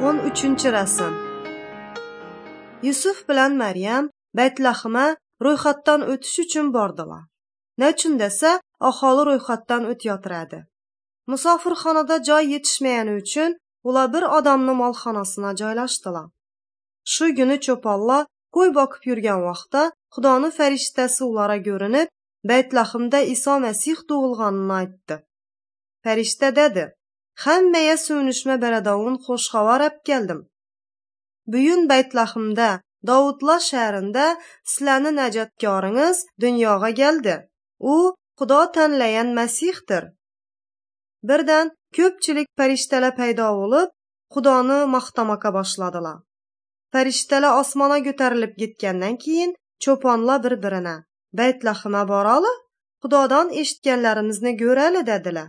13-rasm. Yusuf bilan Maryam Baytlahima ro'yxatdan o'tish uchun bordilar. Nechun desa, aholi ro'yxatdan o'tayotiradi. Musofirxonada joy yetishmagani uchun ular bir odamni molxonasina joylashdilar. Shu kuni cho'ponlar qo'y boqib yurgan vaqtda Xudoni farishtasi ularga ko'rinib, Baytlahimda Iso Masih tug'ilganini aytdi. Farishta dedi: "Hammaga suyunishma beradovun xush xabar olib keldim. Buyun Baytlahimda, Davudlar shahrida sizlarni najotkoringiz dunyoga keldi. U Xudo tanlagan Masihdir." Birdan ko'pchilik farishtalar paydo bo'lib, Xudoni maqtamoqqa boshladilar. Farishtalar osmonga ko'tarilib ketgandan keyin cho'ponlar bir-birini: "Baytlahima borali, Xudodan eshitganlarimizni ko'rali" dedilar.